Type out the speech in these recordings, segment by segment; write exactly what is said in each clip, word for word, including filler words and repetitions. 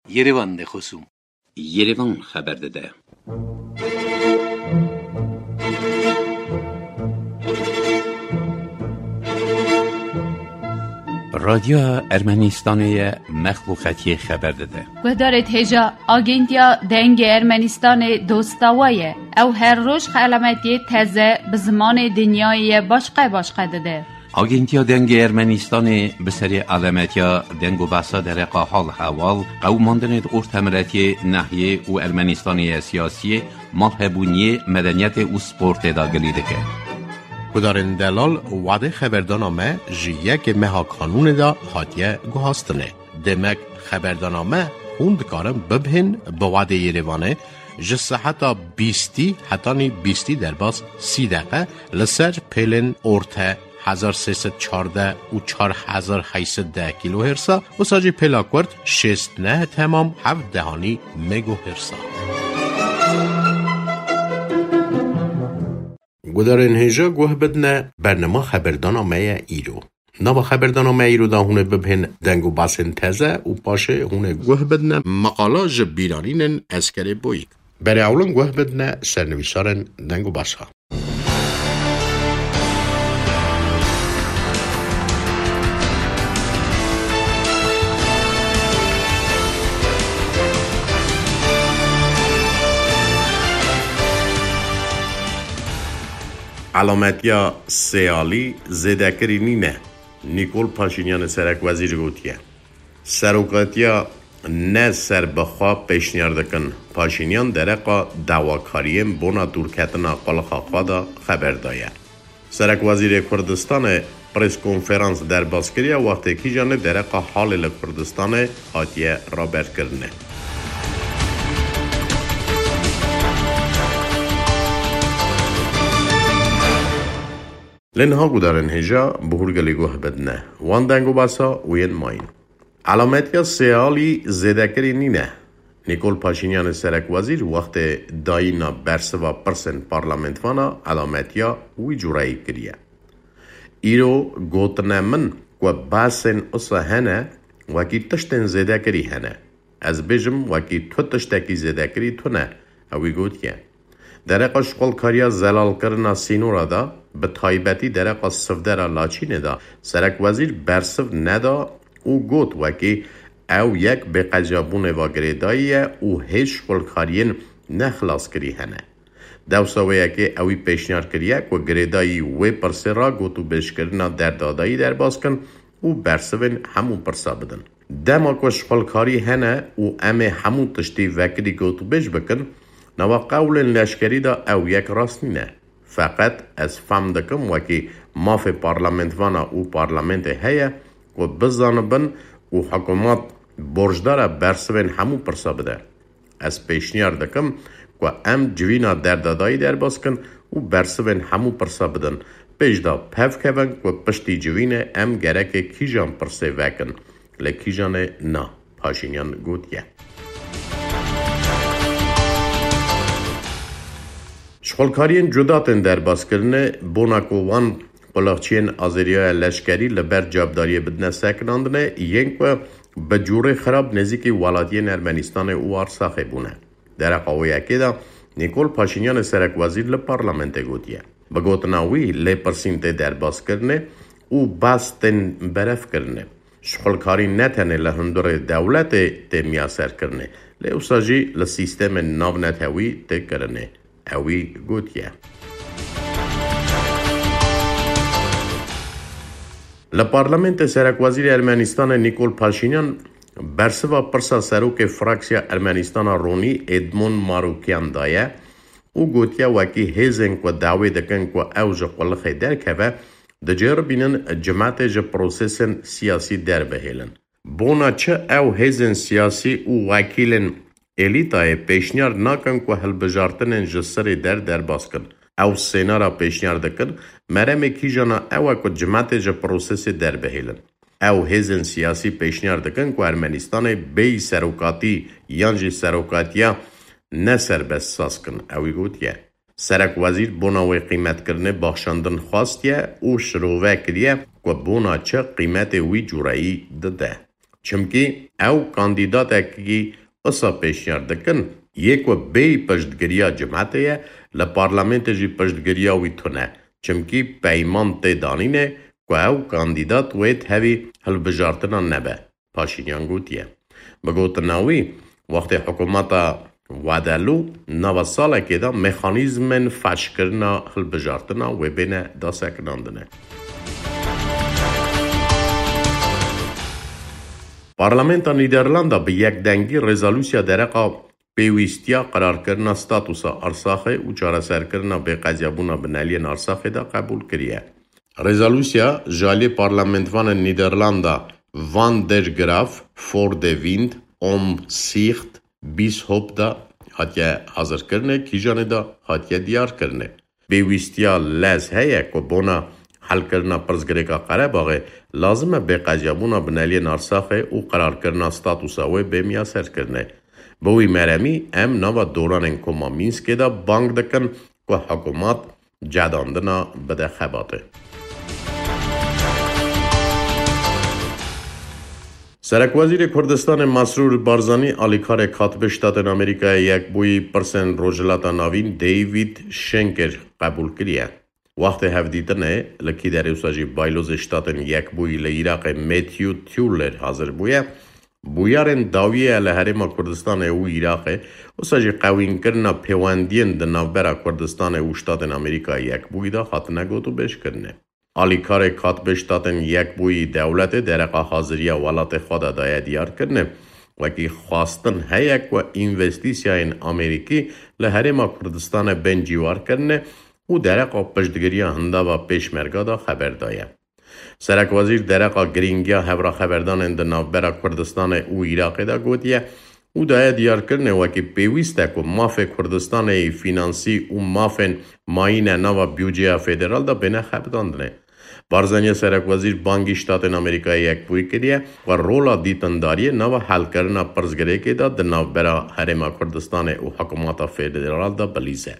Yerevan de xosûm. Yerevan xeber dide. Radyoya Ermenistanê ye, mexluqetiyê xeber dide. Guhdarêt hêja, Agentiya Dengê Ermenistanê dosta we ye. Ew her roj xelametiyê teze bi zimanê dinyayê ye başqe başqe dide. Agentiya Dengê Ermenistanê bi serê alametiya deng û behsa dereqa hal hewal, qewimandinê di ortemiletiyê, nehiyê û Ermenistanê ye siyasiyê, malhebûniyê, medeniyetê û sportê de gilî dike. Gudarên delal, wadê xeberdana me ji yekê meha kanûnê de hatiye guhastinê. Demek xeberdana me hûn dikarin bibihên bi wadê Yerevanê ji seheta bîstî hetanî bîstî derbas sî deqe li ser pêlên orte hezar sê sed çardeh û çar hezar heyt sed deh kîlohêrsa, wisa jî pêla kurt şêst neh temam heft dehanî megohêrsa. Gudarên hêja guh bidine, bernama xeberdana me ye îro. Nava xeberdana me îro de hûn ê bibihên deng û basên teze û paşê hûn ê guh bidine meqala ji bîranînên Eskerê Boyîk. Berê ewlin guh bidine sernivîsarên deng û basa. Elametiya sêalî zêdekirî nîne, Nîkol Paşînyanê serekwezîr gotiye. Serokatiya ne serbixwe pêşniyar dikin. Paşînyan dereqa dawakariyên bona dûrketina qulxa xwe de xeber daye. Serekwezîrê Kurdistanê preskonferans derbas kiriye, wextê kîjanê dereqa halê li Kurdistanê hatiye raberkirinê. Lê niha gudarên hêja bi hûrgilî guh bidine. Wan deng û basa û yên mayîn. Elametiya sêalî zêdekirî nîne. Nîkol Paşînyanê serekwezîr wextê dayîna bersiva pirsên parlamentvana elametiya wî cureyî kiriye. Îro gotine min ku behsên usa hene, wekî tiştên zêdekirî hene. Ez bêjim, wekî tu tiştekî zêdekirî tune, ewî gotiye. Dereqa şixulkariya zelalkirina sînora de, bi taybetî dereqa sivdera Laçînê de, serekwezîr bersiv neda û got, wekî ew yek bêqecabûnê ve girêdayî ye û hêj şixulkariyên nexilaskirî hene. Dewsa wê yekê ewî pêşniyar kiriye ku girêdayî wê pirsê re gotûbêjkirina derdadayî derbas kin û bersivên hemû pirsa bidin. Dema ku şixulkarî hene û em ê hemû tiştî vekirî gotûbêj bikin, nava qewlên leşkerî de ew yek rast nîne. Feqet ez fehm dikim wekî mafê parlamentvana û parlamentê heye ku bizanibin û hikûmet borcdar e bersivên hemû pirsa bide. Ez pêşniyar dikim ku em civîna derdadayî derbas kin û bersivên hemû pirsa bidin. Pêş de pevkevin ku piştî civînê em gerekê kîjan pirsê vekin, lê kîjanê na, Paşînyan gotiye. Şixulkariyên cuda tên derbaskirinê, bona ku wan qulakçiyên azêriya leşkerî li ber cavdariyê bidine sekinandinê, yên ku bi cûrê xirab nêzîkî welatiyên Ermenistanê û Arsaxê bûne. Dereqa wê yekê de Nîkol Paşînyanê serekwezîr li parlamentê gotiye. Bi gotina wî, lêpirsîn tê derbaskirinê û behs tên berevkirinê. Şixulkarî ne tenê li hundirê dewletê tê miyaserkirinê, lê wisa jî li sîstemên navnetewî tê kirinê. Ewî gotiye. Li parlamentê serekwezîrê Ermenistanê Nîkol Paşînyan bersiva pirsa serokê fraksiya Ermenistana Ronî Edmond Marûkyan daye û gotiye, wekî hêzên ku dawê dikin ku ew ji qulixê derkeve, diceribînin cimetê ji prosesên siyasî derbihêlin. Bona çi ew hêzên siyasî û wekîlên elîtayê pêşniyar nakin ku hilbijartinên ji sirê der derbas kin. Ew sênara pêşniyar dikin, meremê kîjana ew e ku cimetê ji prosesê derbihêlin. Ew hêzên siyasî pêşniyar dikin ku Ermenistanê bêyî serokatî yan jî serokatiya ne serbest saz kin, ewî gotiye. Serekwezîr bona wê qîmetkirinê baxşandin xwastiye û şirove kiriye ku bona çi qîmetê wî cûreyî dide. Çimkî ew kandîdatekî wisa pêşniyar dikin, yê ku bêyî piştgiriya cimetê ye, li parlamentê jî piştgiriya wî tune. Çimkî peyman tê danînê ku ew kandîdat wê tevî hilbijartina nebe. Paşînyan gotiye. Bi gotina wî, wextê hikûmeta Wadelû nava salekê de mexanîzmên feşkirina hilbijartina wê bêne dasekinandine. Parlamenta Nîderlanda bi yekdengî rezolûsiya dereqa pêwîstiya qirarkirina statusa Arsaxê û çareserkirina bêqezyabûna bineliyên Arsaxê de qebûl kiriye. Rezolûsiya ji aliyê parlamentvanên Nîderlanda Van der Graaf voor de Wind, Omzicht, Bisschop de hatiye hazirkirinê, kîjanê de hatiye diyarkirinê. Pêwîstiya lez heye ku bona helkirina pirsgirêka Qerebaxê lazim e bêqezyabûna bineliyên Arsaxê û qirarkirina statusa wê bê miyaserkirinê. Bi wî meremî em nava doranên Koma Mînskê de bang dikin ku hikûmat cedandina bide xebatê. Serekwezîrê Kurdistanê Mesrûr Barzanî alîkarê Katibê Ştatên Amerîkayê Yekbûyî pirsên Rojhilata Navîn David Schenker qebûl kiriye. Wextê hevdîtinê li Kîderê wisa jî Baylozê Ştatên Yekbûyî li Iraqê Matthew Tuller hazir bûye. Bûyerên dawiyê li Herêma Kurdistanê û Iraqê, wisa jî qewînkirina pêwendiyên di navbera Kurdistanê û Ştatên Amerîka Yekbûyî de hatine gotûbêjkirinê. Alîkarê Katibê Ştatên Yekbûyî dewletê dereqa haziriya welatê xwe de daye diyarkirinê, wekî xwestin heye ku învestîsyayên Amerîkî li Herêma Kurdistanê bên cîwarkirinê û dereqa piştgiriya hindava Pêşmerga de xeber daye. Serekwezîr dereqa girîngiya hevraxeberdanên di navbera Kurdistanê û Iraqê de gotiye û daye diyarkirinê wekî pêwîst e ku mafê Kurdistanê yê fînansî û mafên mayîne nava budceya federal de bêne xebitandinê. Barzanî serekwezîr bangî Ştatên Amerîkayê Yekbûyî kiriye ku rola dîtindariyê nava helkirina pirsgirêkê de di navbera Herêma Kurdistanê û hikûmeta federal de bilîze.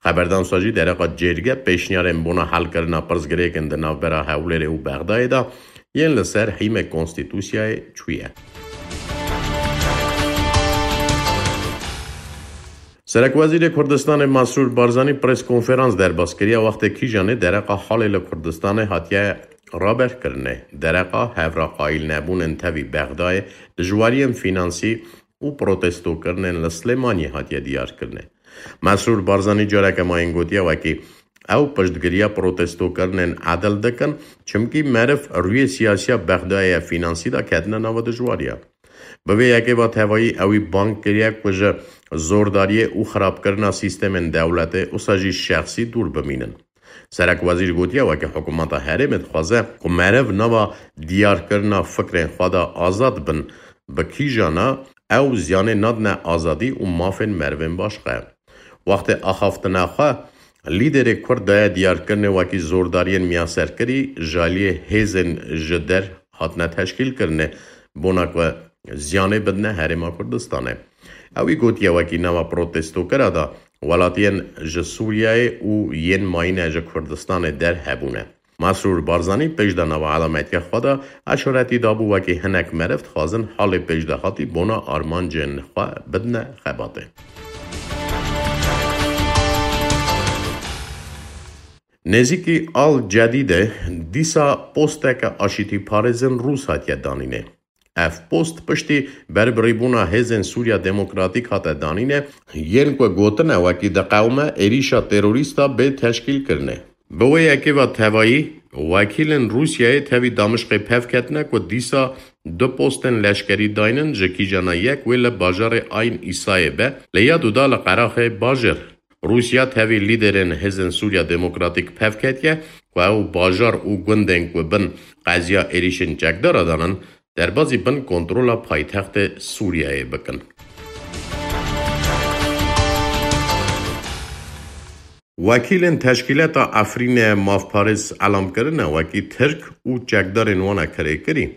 Xeberdan wisa jî dereqa cêrge pêşniyarên bona helkirina pirsgirêkên di navbera Hewlêrê û Bexdayê de yên li ser hîmê konstîtûsiyayê çûye. Serekwezîrê Kurdistanê Mesrûr Barzanî preskonferans derbas kiriye wextê kîjanê dereqa halê li Kurdistanê hatiye raberkirinê. Dereqa hevra qayîlnebûnên tevî Bexdayê, dijwariyên fînansî û protestokirinên li Silêmaniyê hatiye diyarkirinê. Mesrûr Barzanî careke mayîn gotiye wekî ew piştgiriya protestokirinên edil dikin, çimkî meriv rûyê siyasiya Bexdayê ya fînansî de ketine nava dijwariya. Bi vê yekê ve tevayî ewî bang kiriye ku ji zordariyê û xirabkirina sîstemên dewletê wisa jî şexsî dûr bimînin. Serekwezîr gotiye weke hikûmeta herêmê dixwaze ku meriv nava diyarkirina fikrên xwe de azad bin, bi kîjana ew ziyanê nadine azadî û mafên merivên başqe. Wextê axaftina xwe, lîderê Kurd daye diyarkirinê wekî zordariyên miyaserkirî ji aliyê hêzên ji der hatine teşkîlkirinê, bona ku ziyanê bidine Herêma Kurdistanê. Ewî gotiye wekî nava protestokira de welatiyên ji Sûriyeyê û yên mayîne ji Kurdistanê der hebûne. Mesrûr Barzanî pêş de nava elametiya xwe de eşaretî dabû wekî hinek meriv dixwazin halê pêşdehatî bona armancên xwe bidine xebatê. Nêzîkî Al Cedîdê dîsa posteke aşîtîparêzên Rûs hatiye danînê. Ev post piştî berbirîbûna Hêzên Sûriya Demokratîk hate danîne, yên ku gotine wekî diqewime êrîşa terorîsta bê teşkîlkirinê. Bi wê yekê ve tevayî, wekîlên Rûsyayê tevî Damişqê pev ketine ku dîsa du postên leşkerî daynin, ji kîjana yek wê li bajarê Ayn Îsayê be, li ya duda li Qeraxê Bajêr. Rûsya tevî lîderên Hêzên Sûriya Demokratîk pev ketiye ku ew bajar û gundên ku bin qeziya êrîşên çekdara danin, derbazî bin kontrola paytextê Sûriyeyê bikin. Wekîlên teşkîlata Efrînê mafparêz elam kirine wekî Tirk û çekdarên wana kirêkirî.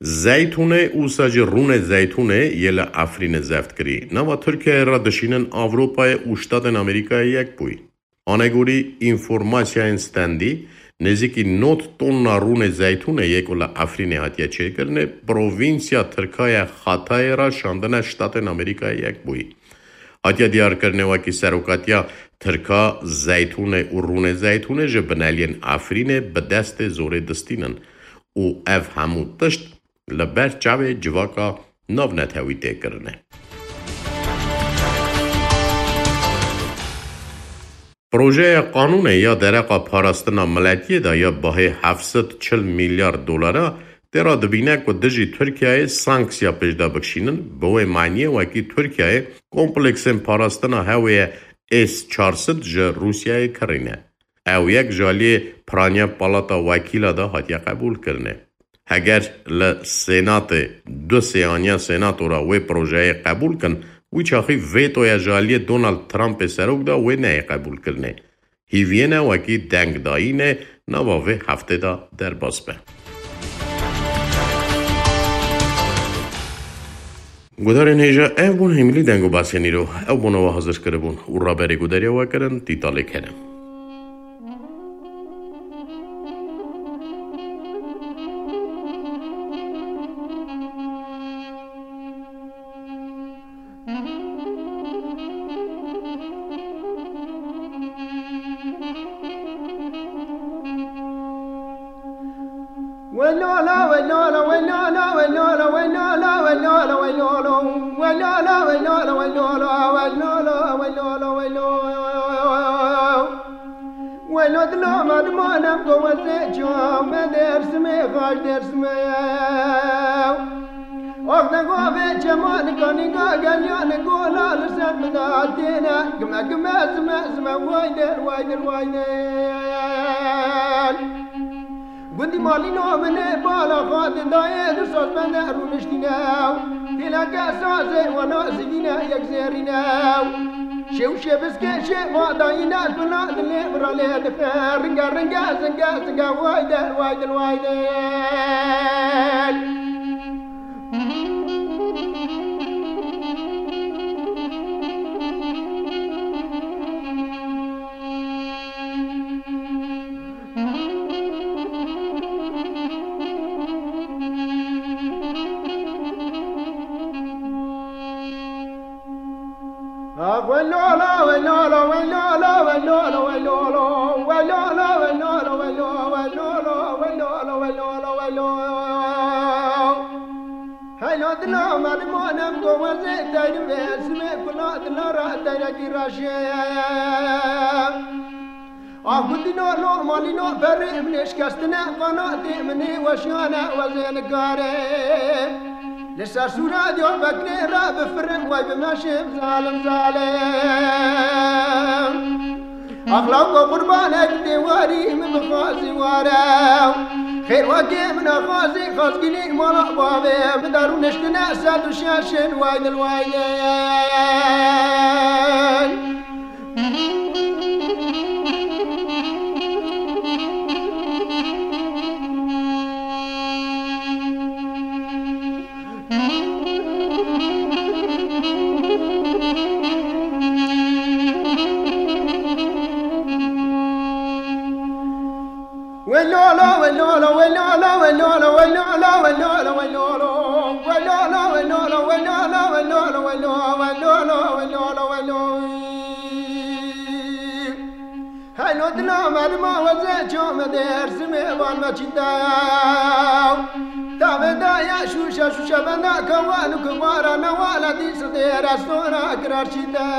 Zeytûnê û wisa jî rûnê zeytûnê yê li Efrînê zeft kirî. Nava Tirkiyeyê re dişînin Ewropayê û Ştatên Amerîkayê Yekbûyî. Anegorî înformasyayên stendî, Nêzîkî nod tonna rûnê zeytûnê yê ku li Efrînê hatiye çêkirinê, provînsya Tirka ye Xatayê re şandine Ştatên Amerîkayê Yekbûyî. Hatiye diyarkirinê wekî serokatiya Tirka zeytûnê û rûnê zeytûnê ji bineliyên Efrînê bi destê zorê distînin û ev hemû tişt li ber çavê civaka navnetewî tê kirine. Projeya qanûnê ya dereqa parastina miletiyê de ya bahê heft sed çil milyar dolara tê re dibîne ku dijî Tirkiyeyê sanksiya pêşde bikişînin, bi wê maniyê wekî Tirkiyeyê kompleksên parastina hewê S çar sed ji Rûsyayê kirîne. Ew yek ji aliyê piraniya Palata Wekîla de hatiye qebûlkirinê. Heger li Senatê du sêyaniya Senato re wê projeyê qebûl kin, wî çaxî vetoya ji aliyê Donald Trumpê serok de wê neyê qebûlkirinê. Hîviyê ne wekî dengdayînê nava vê heftê de derbas be. Guhdarên hêja, ev bûn hêmilî deng û basên îro. Ew bûn we hazir kiribûn û raberê guhdariya we kirin Tîtalê Kerem. Welo dilo me dima nem go wezê çav me Dêrsimê xaş Dêrsimê. Ox de go vê çema nika nika geliya ni gola li ser min de hatîne. Gime gime zime zime way der way der way der. Gundî malîno min ê bala xwe didayê du saz bende rûniştîne. Têleke sazê wana zivîne yek zêrîne. Şew şebiskê şeva dayîne kula dilê min re lê dixe. Ringe ringe zinge zinge way del way del way del. Heylo dila me dima nem go wezê teyrim vê simê kula dila ra teyrekî raşe. Ah gundîno lo malîno perê min ê şikestine qanatê min ê weşiyane wezê nikare. Li ser sûra Diyarbekirê re bifirim way bimeşim zalim zalim. Axlaq û qurbanek tê warî min bixwazî ware. Xêr wekê min axwazî xazgilî mala bavê min de rûniştine sed û şeşin way dil way dil. Heylo dila me dima weze çame Dêrsimê van me çîta. Tavê daya şûşe şûşe benda kewan û kibara newala dî sidê restora kirar çîta.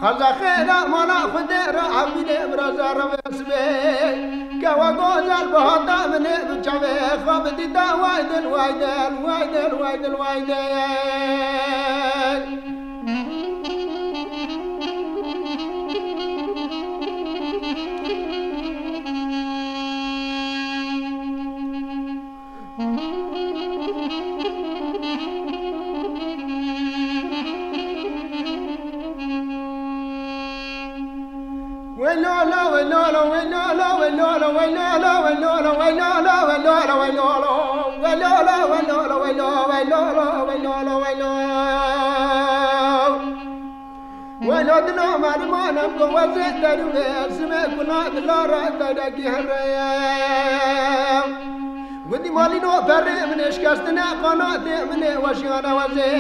Xerza xêra mala Xwedê re evînê biraza revê sibê. Kewa gozel bihata min ê bi çavê xwe bidîta way dil way dil way dil way dil way dil. Dilo merimanem ku wezê derû vê, simê kuna dila re derekî hereye. Gundî malîno perê min ê şikestine, qanatê min ê weşiyane wezê.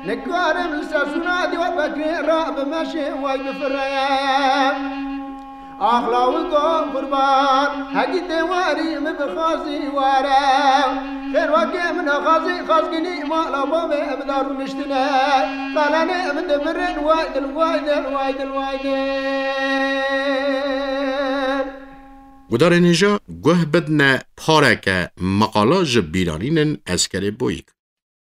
Nikarim li ser sûna dîwa bekrê re bimeşê way bifireye. Axlawiko qurban, hekî tê warî min bi xazî ware. Xêr wekê min a xazî xazginî mala bavê min da rûniştine. Qalanê min dimirin way dil, way dil, way dil, way dil. Gudarên hêja guh bidne pareke meqala ji bîranînên Eskerê Boyîk.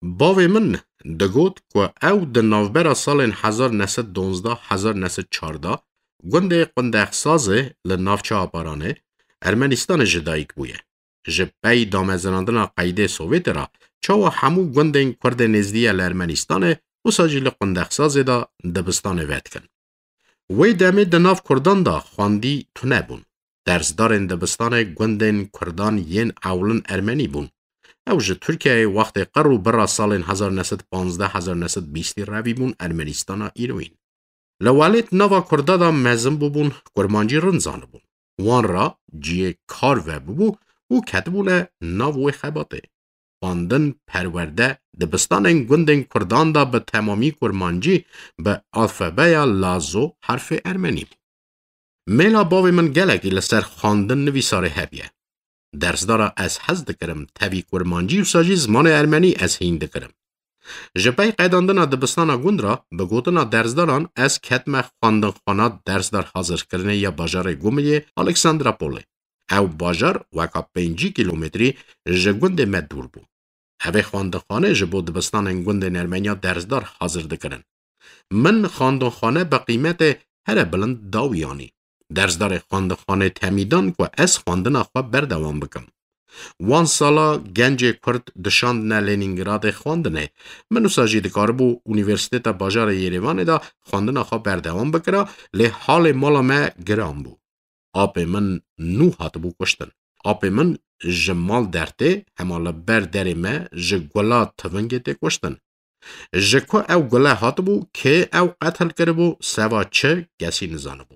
Bavê min digot ku ew di navbera salên hezar neh sed donzdeh hezar neh sed çardeh gundê Qundexsazê li navça Aparanê Ermenistanê ji dayik bûye. Ji pey damezinandina qeydê Sovyetê re çawa hemû gundên Kurdê nêzdî ye li Ermenistanê wisa jî li Qundexsazê de dibistanê vedikin. Wê demê di nav Kurdan de xwendî tune bûn. Dersdarên dibistanê gundên Kurdan yên ewlin Ermenî bûn. Ew ji Tirkiyeyê wextê qir û bira salên hezar neh sed panzdeh hezar neh sed bîstî revî bûn Ermenîstana îroyîn. Li welêt nava Kurda de mezin bûbûn, kurmancî rind zanibûn. Wan re cihê kar vebûbû û ketibûne nav wê xebatê. Xwendin, perwerde, dibistanên gundên Kurdan de bi temamî kurmancî, bi alfabeya Lazo, herfê ermenî bû. Mêla bavê min gelekî li ser xwendin nivîsarê hebiye. Dersdara ez hez dikirim, tevî kurmancî wisa jî zimanê ermenî ez hîn dikirim. Ji pey qedandina dibistana gund re, bi gotina dersdaran ez ketime xwendinxwana dersdar hazirkirinê ya bajarê Gumiliyê Alexandropolê. Ew bajar weka pêncî kîlometrî ji gundê me dûr bû. Evê xwendinxane ji bo dibistanên gundên Ermeniya dersdar hazir dikirin. Min xwendinxane bi qîmetê here bilind da wî anî. Dersdarê xwendinxanê temî dan ku ez xwendina xwe berdewam bikim. Wan sala gencê Kurd dişandine Lenîngradê xwendinê. Min wisa jî dikaribû Unîversîteta Bajarê Yerêvanê de xwendina xwe berdewam bikira, lê halê mala me giran bû. Apê min nû hatibû kuştin. Apê min ji mal dertê, hema li ber derê me ji gula tivingê tê kuştin. Ji ku ew gule hatibû, kê ew qetil kiribû, seva çi, kesî nizanibû.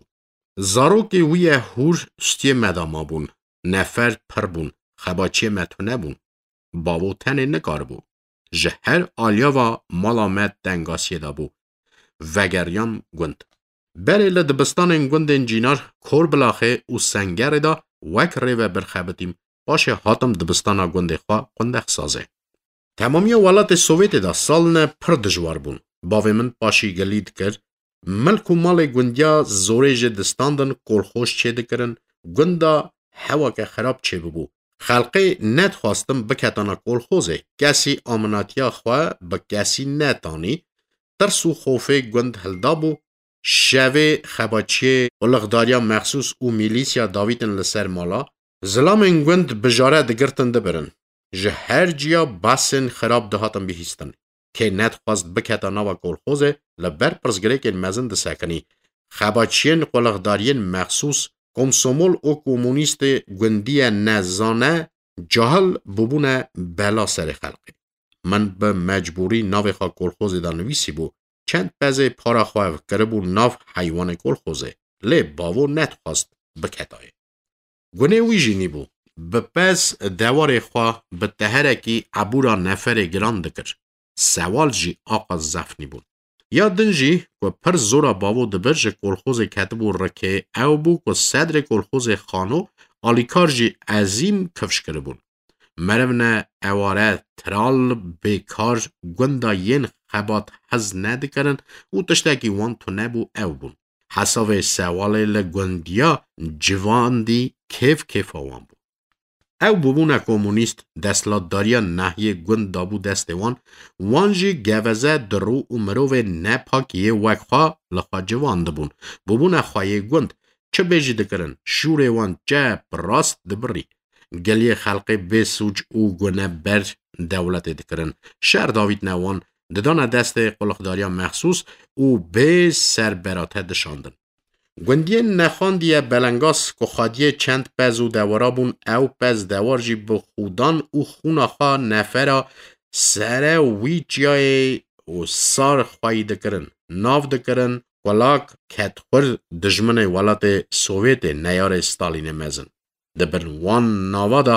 Zarokê wî ye hûr stiyê me de mabûn. Nefer pir bûn. Xebaçiyê me tune bûn. Bavo tenê nikaribû. Ji her aliya ve mala me tengasiyê de bû. Vegeriyan gund. Berê li dibistanên gundên Cînar, Korbilaxê û Sengerê de wek rêvebir xebitîm, paşê hatim dibistana gundê xwe Qundexsazê. Temamiya welatê Sovyetê de salne pir dijwar bûn. Bavê min paşî gilî dikir, milk û malê gundiya zorê jê distandin, kolxoz çêdikirin, gunda hewake xirab çêbibû. Xelqê nedixwastin biketana kolxozê, kesî aminatiya xwe bi kesî netanî, tirs û xofê gund hildabû, şevê xebaçiyê qulixdariya mexsûs û mîlîsya davîtin li ser mala, zilamên gund bi jare digirtin dibirin. Ji her ciya behsên xirab dihatin bihîstin. Kê nedixwest biketa nava kolxozê, li ber pirsgirêkên mezin disekinî. Xebaçiyên qulixdariyên mexsûs, komsomol û komunîstê gundiye nezane, cahil bûbûne bela serê xelkê. Min bi mecbûrî navê xwe kolxozê de nivîsîbû, çend pezê para xwe kiribû nav heywanê kolxozê, lê bavo nedixwest biketayê. Gunê wî jî nîbû. Bi pez dewarê xwe bi teherekî ebûra neferê giran dikir. Sewal jî aqas zef nîbûn. Ya din jî ku pir zora bavo dibir ji kolxozê ketibû rikê, ew bû ku sedrê kolxozê xano alîkar jî ezîm kifş kiribûn. Merivne eware, tiral, bêkar, gunda yên xebat hez nedikirin û tiştekî wan tune bû ew bûn. Hesavê sewalê li gundiya civandî kêf kêfa wan bû. Ew bûbûne komunîst, desthilatdariya nahiyê gund dabû destê wan, wan jî geveze, dirû û mirovê nepak yê wek xwe li xwe civandibûn. Bûbûne xweyê gund, çi bêjî dikirin, şûrê wan çep rast dibirî. Geliyê xelkê bê sûc û guneber dewletê dikirin. Şer davîtine wan, didane destê qulixdariya mexsûs û bê serberate dişandin. Gundiyên nexandiye Belengas ku xwediyê çend pez û dewara bûn, ew pez dewar jî bi xûdan û xûna xwe nefera sere wî çiyayê û sar xweyî dikirin, nav dikirin, Kulak ket xwir dijminê welatê Sovyetê neyarê Stalînê mezin. Di bin wan nava de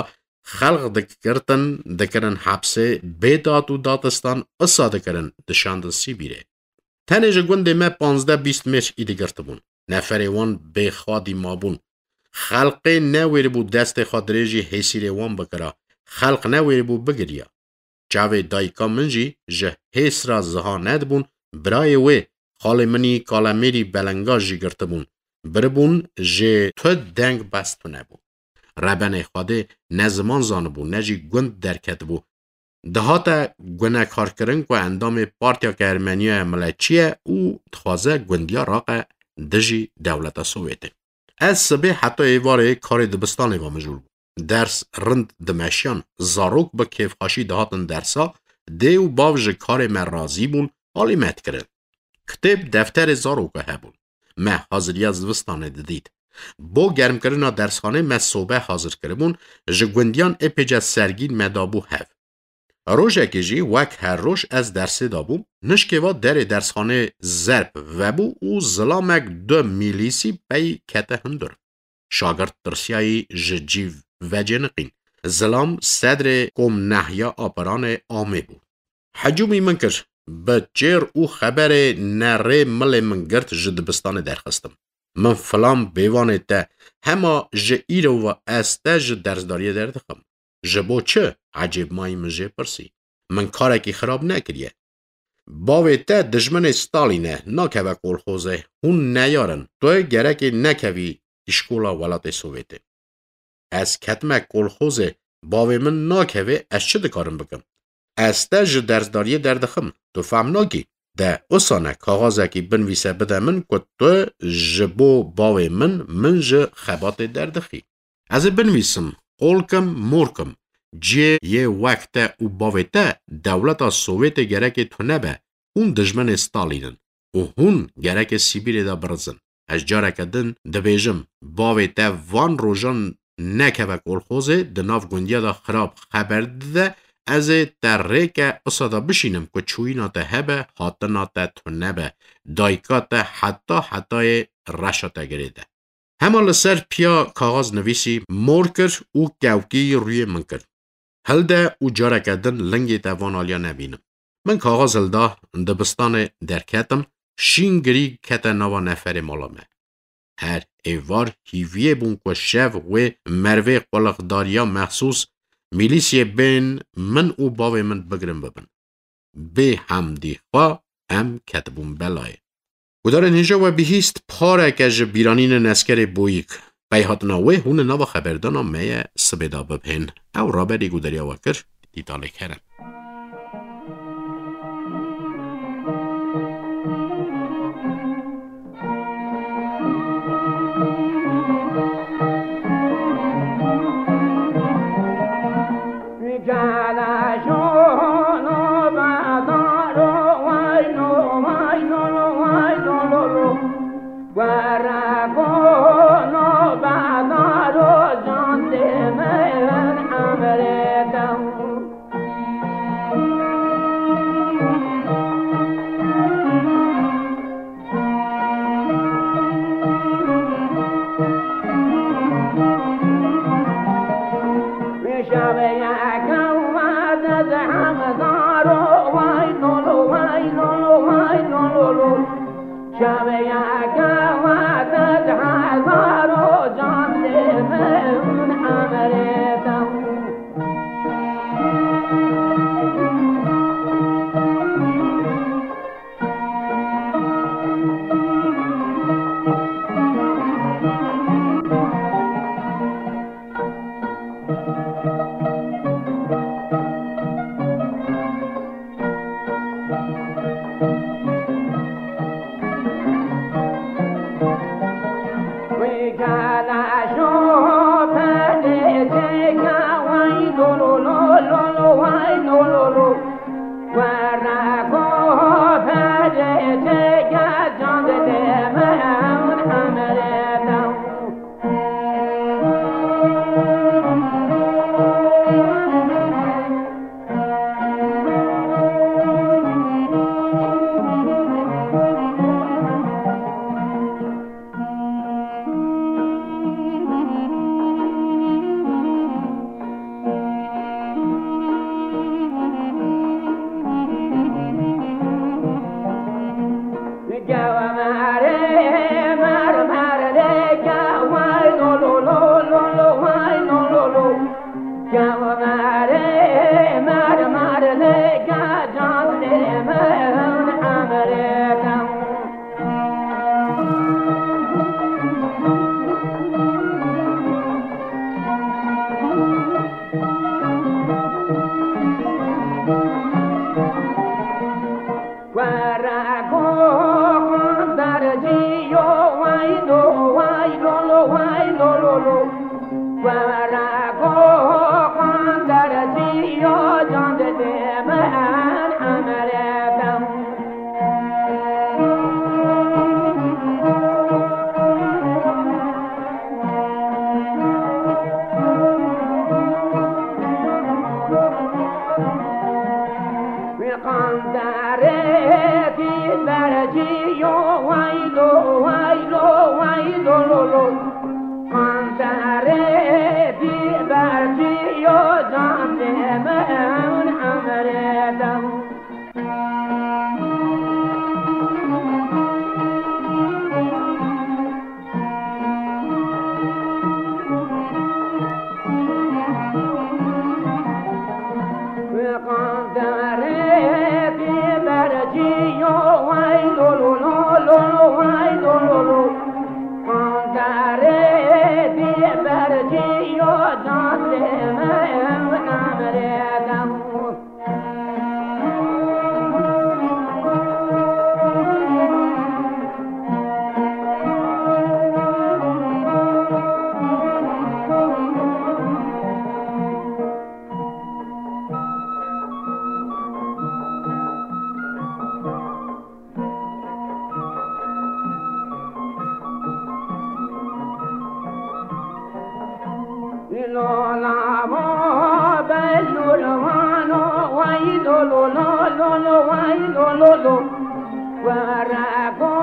xelq dikirtin, dikirin hepsê, bê dat û datistan isa dikirin, dişandin Sîbîrê. Tenê ji gundê me panzdeh bîst mêr îdî girtibûn. Neferê wan bêxadî mabûn. Xelqê newêribû destê xwe dirêjî hêsîrê wan bikira. Xelq newêribû bigiriya. Çavê dayika min jî ji hêsra ziha nedibûn, birayê wê, xalê min î kalemêrî belenga jî girtibûn. Biribûn jê tu deng bes tune bû. Rebenê Xwedê ne ziman zanibû, ne jî gund derketibû. Dihate gunekarkirin ku endamê Partiyeke Ermeniya ye miletçî ye û dixwaze gundiya raqe dijî dewleta Sovyetê. Ez sibê heta êvarê karê dibistanê ve mijûl bû. Ders rind dimeşiyan, zarok bi kêfxweşî dihatin dersa, dê û bav ji karê me razî bûn, alî me dikirin. Kitêb defterê zaroka hebûn. Me haziriya zivistanê didît. Bo germkirina dersxanê me sobe hazir kiribûn, ji gundiyan êpêce sergîn me dabû hev. Rojekê jî wek her roj ez dersê dabûm, nişkê va derê dersxanê zerb vebû û zilamek du mîlîsî pey kete hundir. Şagirt tirsiyayî ji cî vecêniqîn. Zilam sedrê kom nehya apiranê amê bû. Hecûmî min kir. Bi çêr û xeberê nerê milê min girt ji dibistanê derxistim. Min filan bêvanê te, hema ji îro ve ez te ji dersdariyê derdixim. Ji bo çi? Ecêbmayî min jê pirsî. Min karekî xirab nekiriye. Bavê te dijminê Stalîn e, nakeve kolxozê. Hûn neyar in. Tu gerekê nekevî îşkola welatê Sovyetê. Ez ketime kolxozê, bavê min nakevê, ez çi dikarim bikim? Ez te ji dersdariyê derdixim, tu fehm nakî. De usane kaxazekî binvîse bide min ku tu ji bo bavê min, min ji xebatê derdixî. Ez ê binivîsim, qol kim, mor kim. Cihê yê wek te û bavê te dewleta Sovyetê gerekê tune be. Hûn dijminê Stalîn in û hûn gerekê Sîbîrê de birizin. Ez careke din dibêjim, bavê te van rojan nekeve kolxozê, di nav gundiya de xirab xeber dide, ez ê te rêke usa de bişînim ku çûyîna te hebe, hatina te tune be. Dayika te heta hetayê reşa te girêde. Hema li ser piya kaxaz nivîsî, mor kir û kewkî rûyê min kir. Hilde û careke din lingê te van aliya nebînim. Min kaxaz hilda, dibistanê derketim, şîn girî kete nava neferê mala me. Her êvar hîviyê bûn ku şev wê mervê qulixdariya mexsûs, mîlîsiyê bên min û bavê min bigirin bibin. Bê hemdî xwe em ketibûn belayê. Gudarên hêja we bihîst pareke ji bîranînên eskerê Boyîk. Pey hatina wê hûn li nava xeberdana me ye sibê de bibihên. Ew raberî gudariya we kir, dîtalê kerem. Erê mer mer lê gecan lê min emrê te. Were go qanderciyo, way lo, way lo lo, way lo lo lo. Were go qanderciyo, can dide min emrê te. Wî qanderê dî berciyo, way lo, way lo, way lo lo lo. Qanderê dî berciyo, can dide min emrê te. Wê qanderê dî berciyo, way lo lo lo lo lo, way lo lo lo. Qanderê dî berciyo, can dide min emrê te. Lo la mo belul vano, way lo lo lo lo lo, way lo lo lo. Were go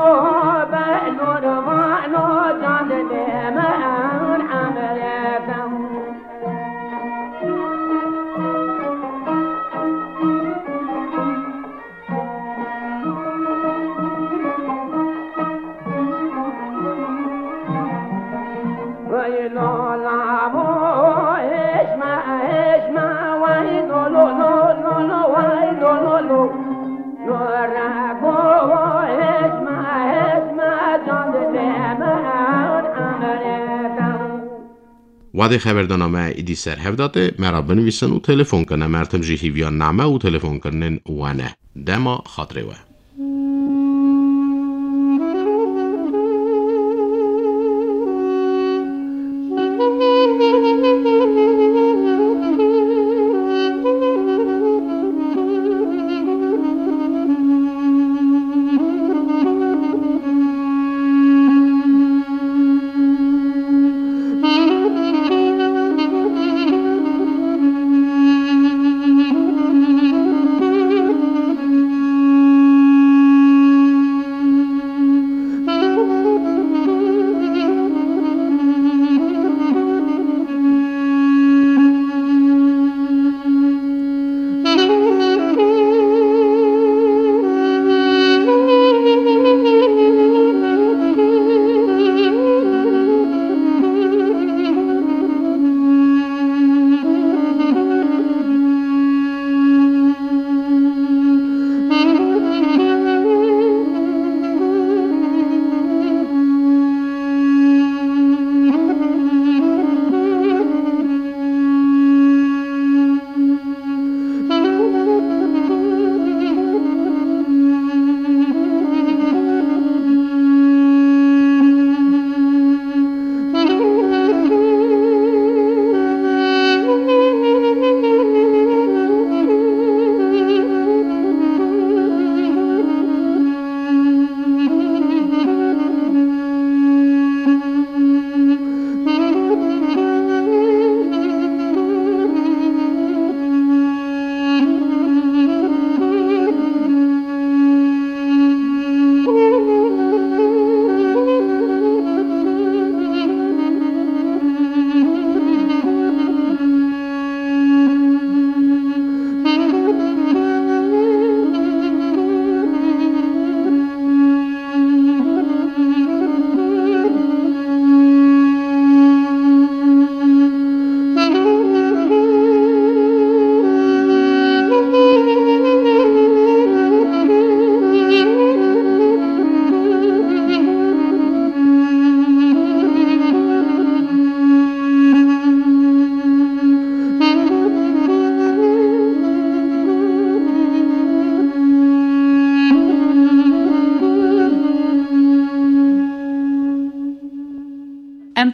belul vano, can dide min emrê te. Vay lo la vo, hêşme, hêşme, vay lo lo lo lo lo, vay lo lo lo. Lo re go vo, hêşme, hêşme, can dide min emrê te. Wadê xeberdana me êdî ser hev da tê, me ra binivîsin û telefon kin. Em her tim jî hîviya name û telefonkirinên we ne. Dema xatirê we.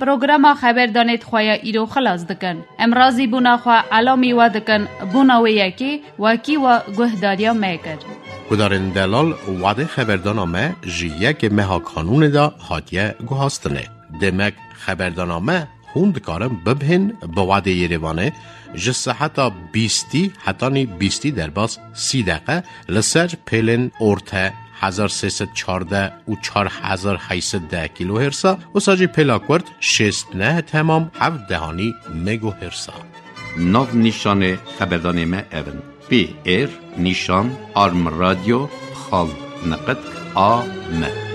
Programa xeberdanê di xwe ya îro xilas dikin. Em razîbûna xwe elamî we dikin, bona wê yekê wekî we guhdariya me kir. Guhdarên delal, wadê xeberdana me ji yekê meha Kanûnê de hatiye guhastinê. Demek xeberdana me hûn dikarin bibihên bi wadê Yerêvanê ji seheta bîstî hetanî bîstî derbas sî deqe li ser pêlên orte hezar sê sed çardeh û çar hezar heyt sed deh kilohertsa, wisa jî pêla kurt şêst neh temam heft dehanî megohertsa. Nav nîşanê xeberdanê me ev in: P R nîşan arm radio xal neqet a m.